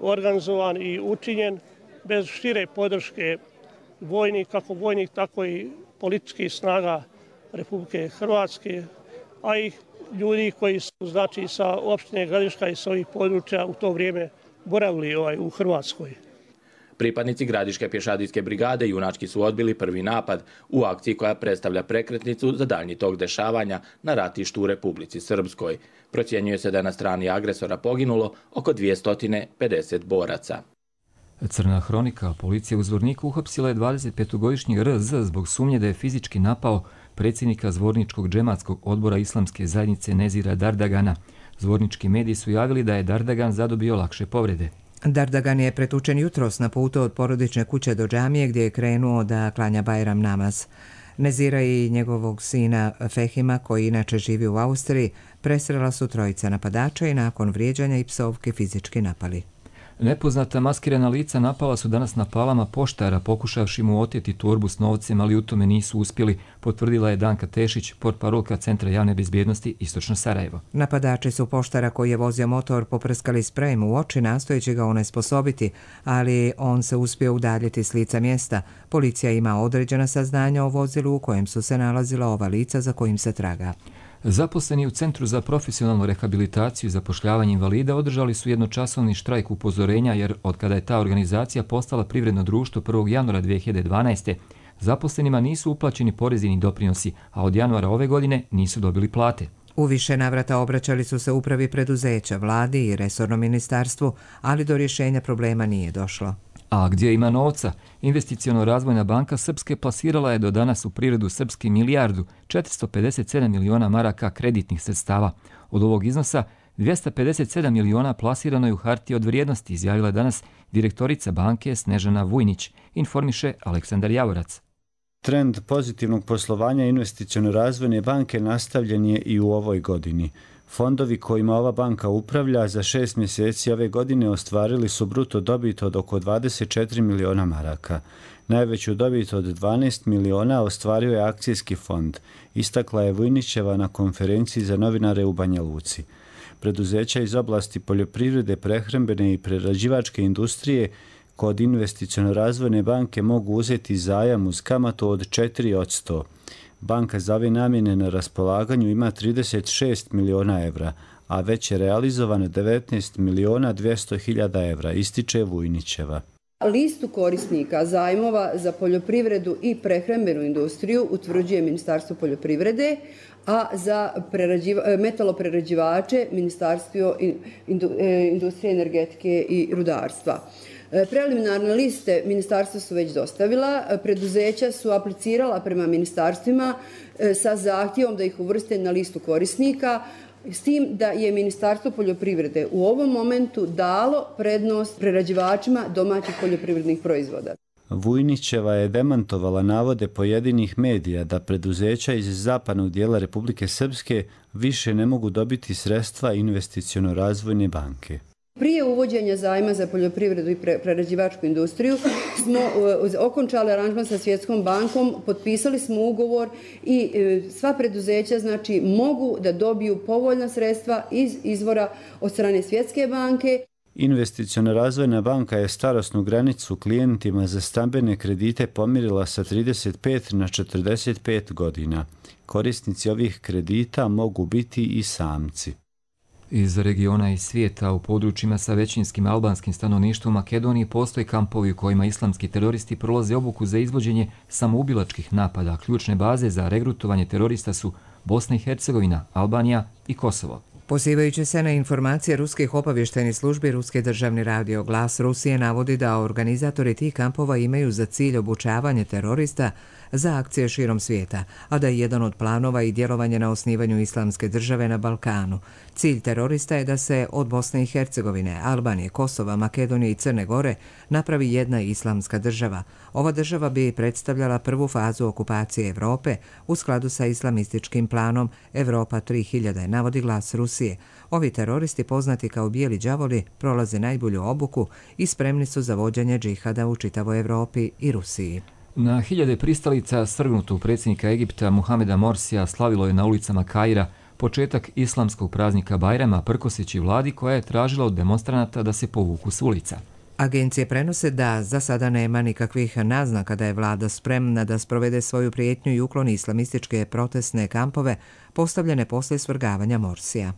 organizovan i učinjen bez šire podrške vojnih, kako vojnih, tako i političkih snaga Republike Hrvatske, a i ljudi koji su, znači, sa opštine Gradiška i sa ovih područja u to vrijeme boravili ovaj, u Hrvatskoj. Pripadnici Gradiške pješadijske brigade junački su odbili prvi napad u akciji koja predstavlja prekretnicu za daljnji tok dešavanja na ratištu u Republici Srpskoj. Procjenjuje se da je na strani agresora poginulo oko dvjesto pedeset boraca. Crna hronika, policija u Zvorniku uhapsila je dvadesetpetogodišnji R Z zbog sumnje da je fizički napao predsjednika Zvorničkog džematskog odbora islamske zajednice Nezira Dardagana. Zvornički mediji su javili da je Dardagan zadobio lakše povrede. Dardagan je pretučen jutros na putu od porodične kuće do džamije gdje je krenuo da klanja Bajram namaz. Nezira i njegovog sina Fehima, koji inače živi u Austriji, presrela su trojica napadača i nakon vrijeđanja i psovke fizički napali. Nepoznata maskirana lica napala su danas na Palama poštara, pokušavši mu oteti torbu s novcem, ali u tome nisu uspjeli, potvrdila je Danka Tešić, portparolka Centra javne bezbjednosti Istočno Sarajevo. Napadači su poštara koji je vozio motor poprskali sprejem u oči, nastojeći ga onesposobiti, ali on se uspio udaljiti s lica mjesta. Policija ima određena saznanja o vozilu u kojem su se nalazila ova lica za kojim se traga. Zaposleni u Centru za profesionalnu rehabilitaciju i zapošljavanje invalida održali su jednočasovni štrajk upozorenja jer od kada je ta organizacija postala privredno društvo prvog januara dvije hiljade dvanaeste. zaposlenima nisu uplaćeni porezi ni doprinosi, a od januara ove godine nisu dobili plate. U više navrata obraćali su se upravi preduzeća, vladi i resornom ministarstvu, ali do rješenja problema nije došlo. A gdje ima novca? Investiciono-razvojna banka Srpske plasirala je do danas u privredu Srpske milijardu četiristo pedeset sedam miliona maraka kreditnih sredstava. Od ovog iznosa dvjesto pedeset sedam miliona plasirano je u hartije od vrijednosti, izjavila danas direktorica banke Snežana Vujnić, informiše Aleksandar Javorac. Trend pozitivnog poslovanja investiciono-razvojne banke nastavljen je i u ovoj godini. Fondovi kojima ova banka upravlja za šest mjeseci ove godine ostvarili su bruto dobit od oko dvadeset četiri miliona maraka. Najveću dobit od dvanaest miliona ostvario je akcijski fond, istakla je Vujnićeva na konferenciji za novinare u Banja Luci. Preduzeća iz oblasti poljoprivrede, prehrambene i prerađivačke industrije kod investiciono-razvojne banke mogu uzeti zajam uz kamatu od četiri posto. Banka za ove namjene na raspolaganju ima trideset šest miliona evra, a već je realizovano devetnaest miliona dvjesto hiljada evra, ističe Vujnićeva. Listu korisnika zajmova za poljoprivredu i prehrambenu industriju utvrđuje Ministarstvo poljoprivrede, a za metaloprerađivače Ministarstvo industrije, energetike i rudarstva. Preliminarne liste ministarstva su već dostavila, preduzeća su aplicirala prema ministarstvima sa zahtjevom da ih uvrste na listu korisnika, s tim da je Ministarstvo poljoprivrede u ovom momentu dalo prednost prerađivačima domaćih poljoprivrednih proizvoda. Vujnićeva je demantovala navode pojedinih medija da preduzeća iz zapadnog dijela Republike Srpske više ne mogu dobiti sredstva investiciono-razvojne banke. Prije uvođenja zajma za poljoprivredu i prerađivačku industriju smo okončali aranžman sa Svjetskom bankom, potpisali smo ugovor i sva preduzeća znači mogu da dobiju povoljna sredstva iz izvora od strane Svjetske banke. Investiciono-razvojna banka je starosnu granicu klijentima za stambene kredite pomirila sa trideset pet na četrdeset pet godina. Korisnici ovih kredita mogu biti i samci. Iz regiona i svijeta u područjima sa većinskim albanskim stanovništvom Makedonije postoje kampovi u kojima islamski teroristi prolaze obuku za izvođenje samoubilačkih napada. Ključne baze za regrutovanje terorista su Bosna i Hercegovina, Albanija i Kosovo. Pozivajući se na informacije ruskih obavještajnih službi, Ruski državni radio Glas Rusije navodi da organizatori tih kampova imaju za cilj obučavanje terorista za akcije širom svijeta, a da je jedan od planova i djelovanje na osnivanju islamske države na Balkanu. Cilj terorista je da se od Bosne i Hercegovine, Albanije, Kosova, Makedonije i Crne Gore napravi jedna islamska država. Ova država bi predstavljala prvu fazu okupacije Evrope u skladu sa islamističkim planom Evropa tri hiljade, navodi Glas Rusije. Ovi teroristi, poznati kao bijeli đavoli, prolaze najbolju obuku i spremni su za vođenje džihada u čitavoj Evropi i Rusiji. Na hiljade pristalica svrgnutog predsjednika Egipta Muhameda Morsija slavilo je na ulicama Kaira početak islamskog praznika Bajrama, prkoseći vladi koja je tražila od demonstranata da se povuku s ulica. Agencije prenose da za sada nema nikakvih naznaka da je vlada spremna da sprovede svoju prijetnju i ukloni islamističke protestne kampove postavljene posle svrgavanja Morsija.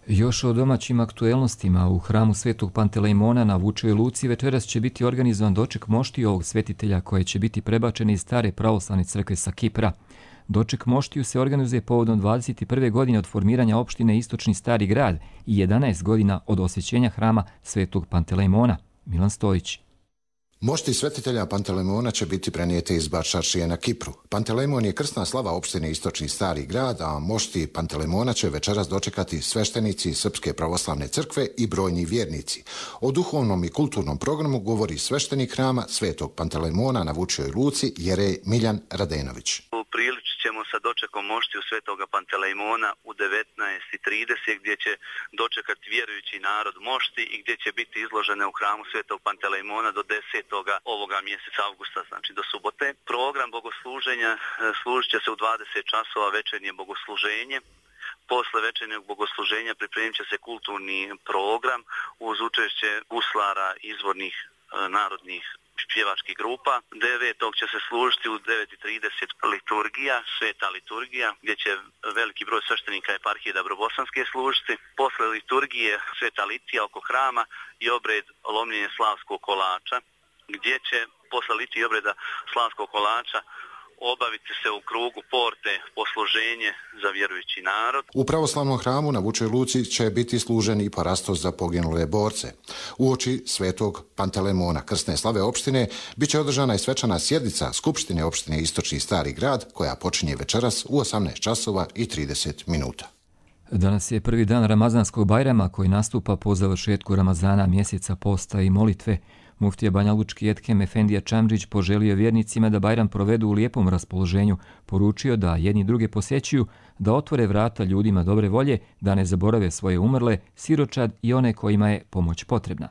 Još o domaćim aktuelnostima u hramu Svetog Pantelejmona na Vučevoj Luci večeras će biti organizovan doček moštiju ovog svetitelja koje će biti prebačeni iz stare pravoslavne crkve sa Kipra. Doček moštiju se organizuje povodom dvadeset prve godine od formiranja opštine Istočni Stari grad i jedanaest godina od osvećenja hrama Svetog Pantelejmona. Milan Stojić. Mošti svetitelja Pantelejmona će biti prenijete iz Bačaršije na Kipru. Pantelejmon je krsna slava opštine Istočni Stari grad, a mošti Pantelejmona će večeras dočekati sveštenici Srpske pravoslavne crkve i brojni vjernici. O duhovnom i kulturnom programu govori sveštenik hrama Svetog Pantelejmona na Vučevoj Luci Jerej Miljan Radenović. Upriličit ćemo sa dočekom moštiju Svetoga Pantelejmona u devetnaest i trideset gdje će dočekati vjerujući narod mošti i gdje će biti izložene u hramu Svetog Pantelejmona do desetoga ovoga mjeseca avgusta, znači do subote. Program bogosluženja služit će se u dvadeset časova večernje bogosluženje. Posle večernjeg bogosluženja pripremit će se kulturni program uz učešće guslara izvornih narodnih pjevačkih grupa. Devetog će se služiti u devet i trideset liturgija, sveta liturgija, gdje će veliki broj sveštenika eparhije Dabrobosanske služiti. Posle liturgije sveta litija oko hrama i obred lomljenja slavskog kolača, gdje će posle litije obreda slavskog kolača obaviti se u krugu porte posluženje za vjerujući narod. U pravoslavnom hramu na Vučoj Luci će biti služen i parastos za poginule borce. Uoči svetog Pantelemona krsne slave opštine bit će održana i svečana sjednica Skupštine opštine Istočni Stari Grad koja počinje večeras u osamnaest časova i trideset minuta. Danas je prvi dan Ramazanskog Bajrama koji nastupa po završetku Ramazana, mjeseca posta i molitve. Muftija Banjalučki Ethem Efendija Čamdžić poželio vjernicima da Bajram provedu u lijepom raspoloženju, poručio da jedni druge posjećuju, da otvore vrata ljudima dobre volje, da ne zaborave svoje umrle, siročad i one kojima je pomoć potrebna.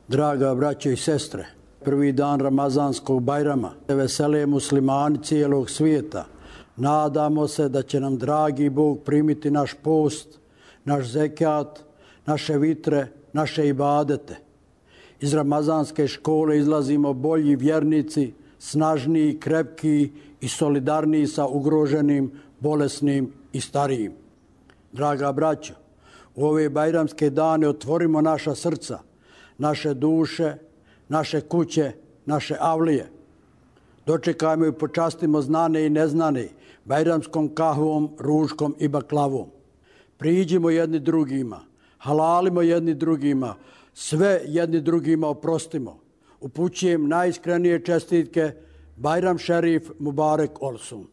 Draga braće i sestre, prvi dan Ramazanskog Bajrama, vesele muslimani cijelog svijeta. Nadamo se da će nam dragi Bog primiti naš post, naš zekat, naše vitre, naše ibadete. Iz ramazanske škole izlazimo bolji vjernici, snažniji, krepkiji i solidarniji sa ugroženim, bolesnim i starijim. Draga braćo, u ove bajramske dane otvorimo naša srca, naše duše, naše kuće, naše avlije. Dočekajmo i počastimo znane i neznane bajramskom kahvom, ružkom i baklavom. Priđimo jedni drugima, halalimo jedni drugima, sve jedni drugima oprostimo. Upućujem najiskrenije čestitke Bajram Šerif Mubarek Olsun.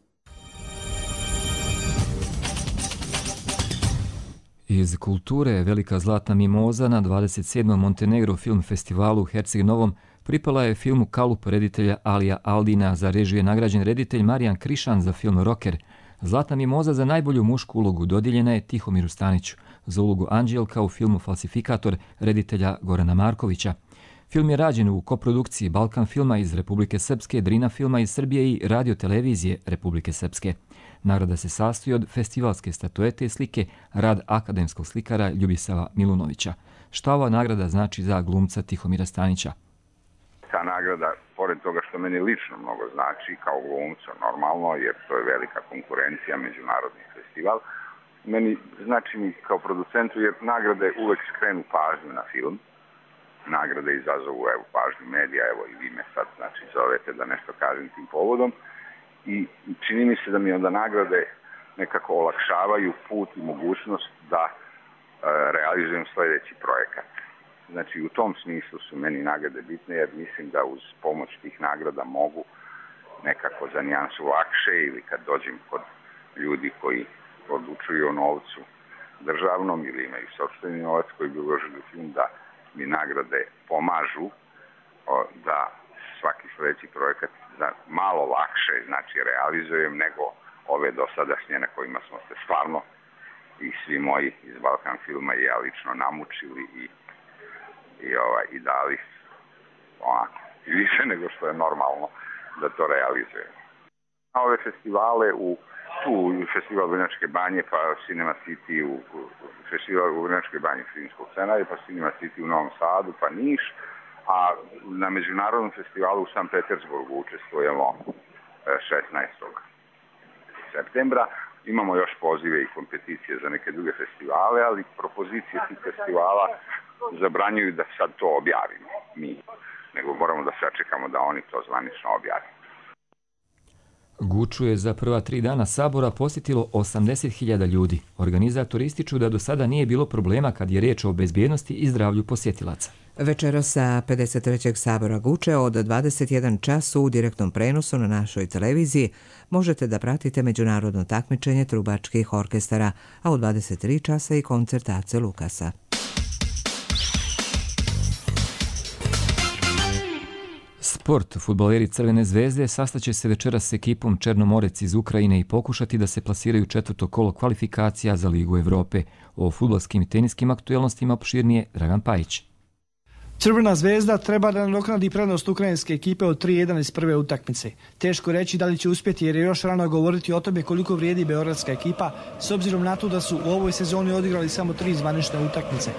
Iz kulture Velika zlatna mimoza na dvadeset sedmom Montenegro film festivalu u Herceg Novom pripala je filmu Kalup reditelja Alija Aldina, za režiju je nagrađen reditelj Marijan Krišan za film Rocker. Zlatna mimoza za najbolju mušku ulogu dodijeljena je Tihomiru Staniću, za ulogu Anđelka u filmu Falsifikator reditelja Gorana Markovića. Film je rađen u koprodukciji Balkan filma iz Republike Srpske, Drina filma iz Srbije i radiotelevizije Republike Srpske. Nagrada se sastoji od festivalske statuete i slike, rad akademskog slikara Ljubisava Milunovića. Šta ova nagrada znači za glumca Tihomira Stanića? Ta nagrada, pored toga što meni lično mnogo znači kao glumcu normalno, jer to je velika konkurencija, međunarodni festival, meni znači mi kao producentu jer nagrade uvek skrenu pažnju na film. Nagrade izazovu evo, pažnju medija, evo i vi me sad znači zovete da nešto kažem tim povodom. I čini mi se da mi onda nagrade nekako olakšavaju put i mogućnost da e, realizujem sljedeći projekat. Znači u tom smislu su meni nagrade bitne jer mislim da uz pomoć tih nagrada mogu nekako za nijansu lakše ili kad dođem kod ljudi koji odlučuju o novcu državnom ili imaju sopstveni novac koji bi uložili u film da mi nagrade pomažu o, da svaki sljedeći projekat da malo lakše znači realizujem nego ove dosadašnje na kojima smo se stvarno i svi moji iz Balkan filma i ja lično namučili i i ovaj i dali onako više nego što je normalno da to realizuje. Na ove festivale u tu festival Vrnjačke banje, pa Cinema City u, u festival u Vrnjačkoj banji filmskog scenarija, pa Cinema City u Novom Sadu, pa Niš, a na međunarodnom festivalu u San Petersburgu učestvujemo šesnaestog septembra. Imamo još pozive i kompeticije za neke druge festivale, ali propozicije tih festivala zabranjuju da sad to objavimo mi, nego moramo da sačekamo da oni to zvanično objavimo. Guču je za prva tri dana sabora posjetilo osamdeset hiljada ljudi. Organizatori ističu da do sada nije bilo problema kad je riječ o bezbjednosti i zdravlju posjetilaca. Večera sa pedeset trećeg sabora Guče od dvadeset jedan čas u direktnom prenosu na našoj televiziji možete da pratite međunarodno takmičenje trubačkih orkestara, a u dvadeset tri časa i koncert Ace Lukasa. Sport. Fudbaleri Crvene zvezde sastaće se večeras s ekipom Černomorec iz Ukrajine i pokušati da se plasiraju četvrto kolo kvalifikacija za Ligu Evrope. O fudbalskim i teniskim aktuelnostima opširnije Dragan Pajić. Crvena zvezda treba da nadoknadi prednost ukrajinske ekipe od tri jedan iz prve utakmice. Teško reći da li će uspjeti jer je još rano govoriti o tome koliko vrijedi beogradska ekipa s obzirom na to da su u ovoj sezoni odigrali samo tri zvanične utakmice.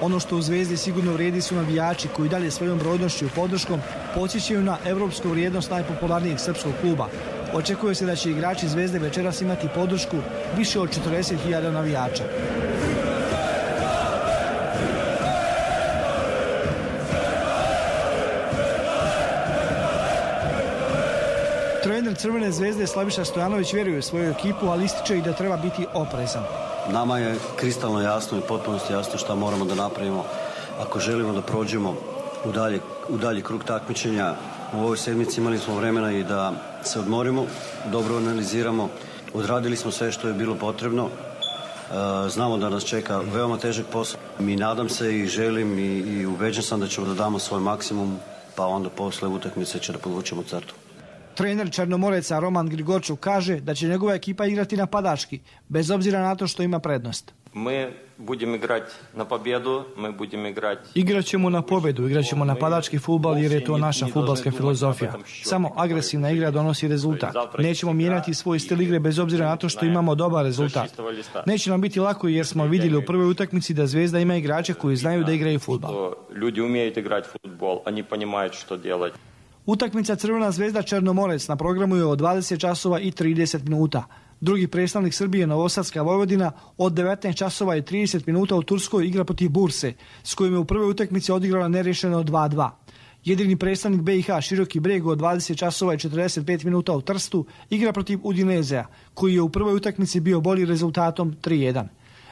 Ono što u Zvezdi sigurno vrijedi su navijači koji dalje svojom brojnošću i podrškom podsjećaju na evropsku vrijednost najpopularnijeg srpskog kluba. Očekuje se da će igrači Zvezde večeras imati podršku više od četrdeset hiljada navijača. Trener Crvene zvezde Slaviša Stojanović vjeruje u svoju ekipu, ali ističe i da treba biti oprezan. Nama je kristalno jasno i potpunosti jasno šta moramo da napravimo ako želimo da prođemo u dalje, u dalji krug takmičenja. U ovoj sedmici imali smo vremena i da se odmorimo, dobro analiziramo, odradili smo sve što je bilo potrebno. Znamo da nas čeka veoma težak posao. Mi nadam se i želim i, i ubeđen sam da ćemo da damo svoj maksimum, pa onda posle utakmice će da podvučemo crtu. Trener Černomoreca Roman Grigorčuk kaže da će njegova ekipa igrati napadački, bez obzira na to što ima prednost. Mi budemo igrati na pobjedu, mi budemo igrati... Igraćemo na pobjedu, igraćemo napadački fudbal jer je to naša fudbalska filozofija. Samo agresivna igra donosi rezultat. Nećemo mijenjati svoj stil igre bez obzira na to što imamo dobar rezultat. Neće nam biti lako jer smo vidjeli u prvoj utakmici da Zvezda ima igrače koji znaju da igraju fudbal. Ljudi umiju igrati fudbal, oni poнимaju što delati. Utakmica Crvena zvezda Černomorec na programu je od dvadeset časova i trideset minuta. Drugi predstavnik Srbije, Novosadska Vojvodina, od devetnaest časova i trideset minuta u Turskoj igra protiv Burse, s kojim je u prvoj utakmici odigrala nerješeno dva dva. Jedini predstavnik B i H Široki Breg od dvadeset časova i četrdeset pet minuta u Trstu igra protiv Udinezea, koji je u prvoj utakmici bio bolji rezultatom tri jedan.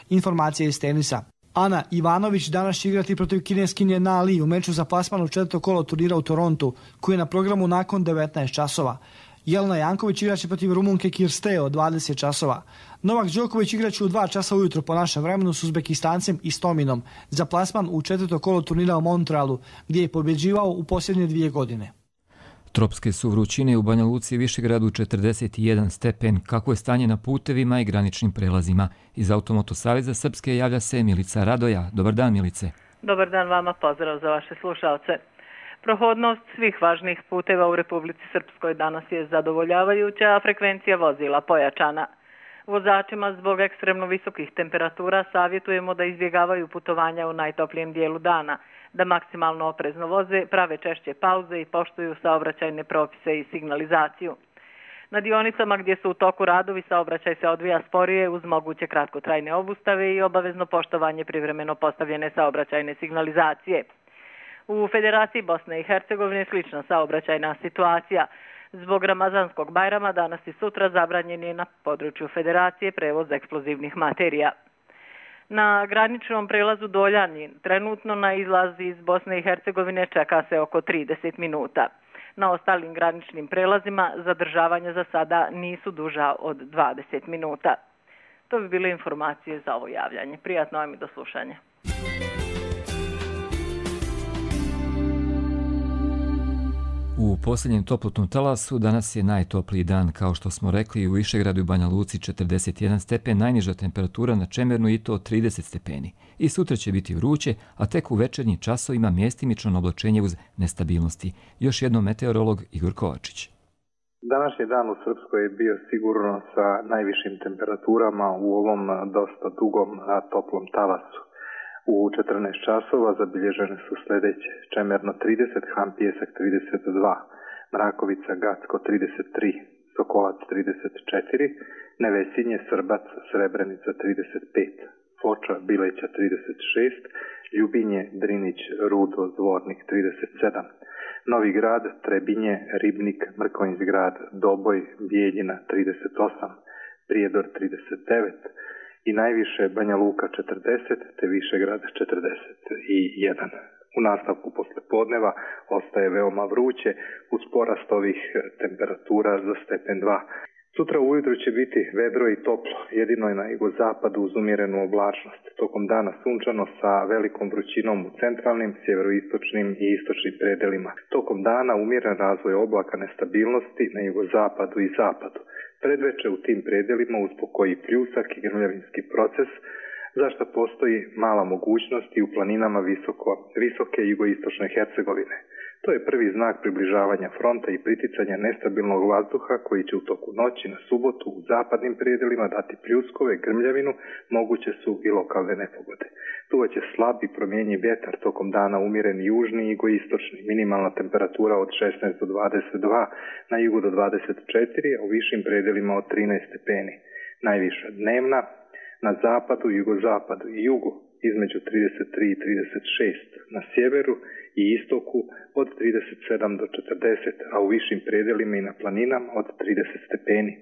Informacije iz tenisa. Ana Ivanović danas će igrati protiv kineskinje Na Li u meču za plasman u četvrto kolo turnira u Torontu, koji je na programu nakon devetnaest časova. Jelena Janković igraće protiv Rumunke Kirste od dvadeset časova. Novak Đoković igraće u dva časa ujutro po našem vremenu s Uzbekistancem i Stominom za plasman u četvrto kolo turnira u Montrealu, gdje je pobjeđivao u posljednje dvije godine. Tropske su vrućine u Banja Luci i Višegradu četrdeset jedan stepen. Kako je stanje na putevima i graničnim prelazima? Iz Automoto saveza Srpske javlja se Milica Radoja. Dobar dan, Milice. Dobar dan vama, pozdrav za vaše slušalce. Prohodnost svih važnih puteva u Republici Srpskoj danas je zadovoljavajuća, a frekvencija vozila pojačana. Vozačima zbog ekstremno visokih temperatura savjetujemo da izbjegavaju putovanja u najtoplijem dijelu dana, da maksimalno oprezno voze, prave češće pauze i poštuju saobraćajne propise i signalizaciju. Na dionicama gdje su u toku radovi saobraćaj se odvija sporije uz moguće kratkotrajne obustave i obavezno poštovanje privremeno postavljene saobraćajne signalizacije. U Federaciji Bosne i Hercegovine slična saobraćajna situacija. Zbog Ramazanskog Bajrama danas i sutra zabranjen je na području Federacije prevoz eksplozivnih materija. Na graničnom prelazu Doljanji trenutno na izlazi iz Bosne i Hercegovine čeka se oko trideset minuta. Na ostalim graničnim prelazima zadržavanja za sada nisu duža od dvadeset minuta. To bi bile informacije za ovo javljanje. Prijatno vam i do slušanja. U posljednjem toplotnom talasu danas je najtopliji dan, kao što smo rekli, u Višegradu i Banja Luci četrdeset jedan stepen, najniža temperatura na Čemernu i to trideset stepeni. I sutra će biti vruće, a tek u večernjim časovima mjestimično oblačenje uz nestabilnosti. Još jednom meteorolog Igor Kovačić. Današnji dan u Srpskoj je bio sigurno sa najvišim temperaturama u ovom dosta dugom toplom talasu. U četrnaest časova zabilježene su sljedeće: Čemerno trideset, Han Pijesak trideset dva, Mrakovica Gacko trideset tri, Sokolac trideset četiri, Nevesinje, Srbac, Srebrenica trideset pet, Foča, Bileća trideset šest, Ljubinje, Drinić, Rudo, Zvornik trideset sedam, Novi Grad, Trebinje, Ribnik, Mrkonjić-Grad, Doboj, Bijeljina trideset osam, Prijedor trideset devet, i najviše Banja Luka četrdeset, te Višegrad četrdeset jedan. U nastavku poslepodneva ostaje veoma vruće uz porast ovih temperatura za stepen dva. Sutra ujutro će biti vedro i toplo, jedino je na jugozapadu uz umjerenu oblačnost. Tokom dana sunčano sa velikom vrućinom u centralnim, sjeveroistočnim i istočnim predelima. Tokom dana umjeren razvoj oblaka nestabilnosti na jugozapadu i zapadu. Predveče u tim predelima uz pokoji pljusak i grmljavinski proces, zašto postoji mala mogućnost i u planinama visoko, visoke jugoistočne Hercegovine. To je prvi znak približavanja fronta i priticanja nestabilnog vazduha koji će u toku noći na subotu u zapadnim predelima dati pljuskove, grmljavinu, moguće su i lokalne nepogode. Duvaće slab i promjenjiv vjetar, tokom dana umjeren južni i jugoistočni, minimalna temperatura od šesnaest do dvadeset dva, na jugu do dvadeset četiri, a u višim predelima od trinaest stepeni. Najviša dnevna na zapadu, jugozapadu i jugu između trideset tri i trideset šest, na sjeveru i istoku od trideset sedam do četrdeset, a u višim predelima i na planinama od trideset stepeni.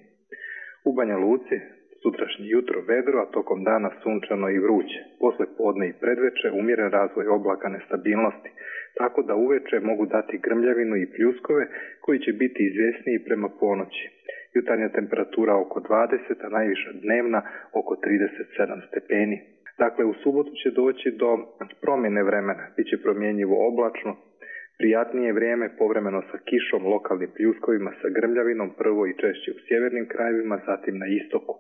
U Banja Luci sutrašnje jutro vedro, a tokom dana sunčano i vruće. Posle podne i predveče umjeren razvoj oblaka nestabilnosti, tako da uveče mogu dati grmljavinu i pljuskove koji će biti izvjesniji prema ponoći. Jutarnja temperatura oko dvadeset, a najviša dnevna oko trideset sedam stepeni. Dakle, u subotu će doći do promjene vremena, bit će promjenjivo oblačno, prijatnije vrijeme, povremeno sa kišom, lokalnim pljuskovima, sa grmljavinom, prvo i češće u sjevernim krajevima, zatim na istoku.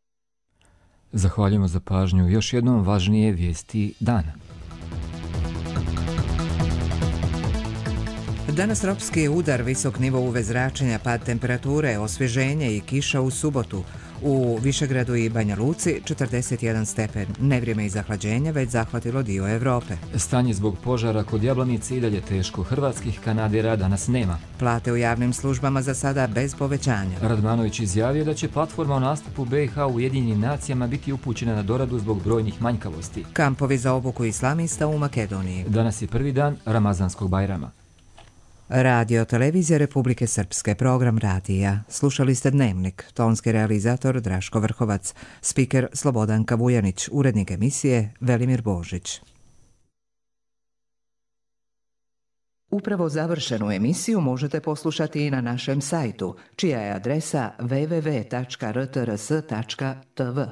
Zahvaljujemo za pažnju. Još jednom važnije vijesti dana. Danas tropski udar, visok nivo U V zračenja, pad temperature, osvježenje i kiša u subotu. U Višegradu i Banja Luci četrdeset jedan stepen. Nevrijeme i zahlađenje već zahvatilo dio Evrope. Stanje zbog požara kod Jablanice i dalje teško. Hrvatskih kanadera danas nema. Plate u javnim službama za sada bez povećanja. Radmanović izjavio da će platforma o nastupu B i H u Ujedinjenim nacijama biti upućena na doradu zbog brojnih manjkavosti. Kampovi za obuku islamista u Makedoniji. Danas je prvi dan Ramazanskog Bajrama. Radio Televizija Republike Srpske, program radija. Slušali ste Dnevnik, tonski realizator Draško Vrhovac, spiker Slobodanka Vujanić, urednik emisije Velimir Božić. Upravo završenu emisiju možete poslušati i na našem sajtu, čija je adresa w w w tačka r t r s tačka t v.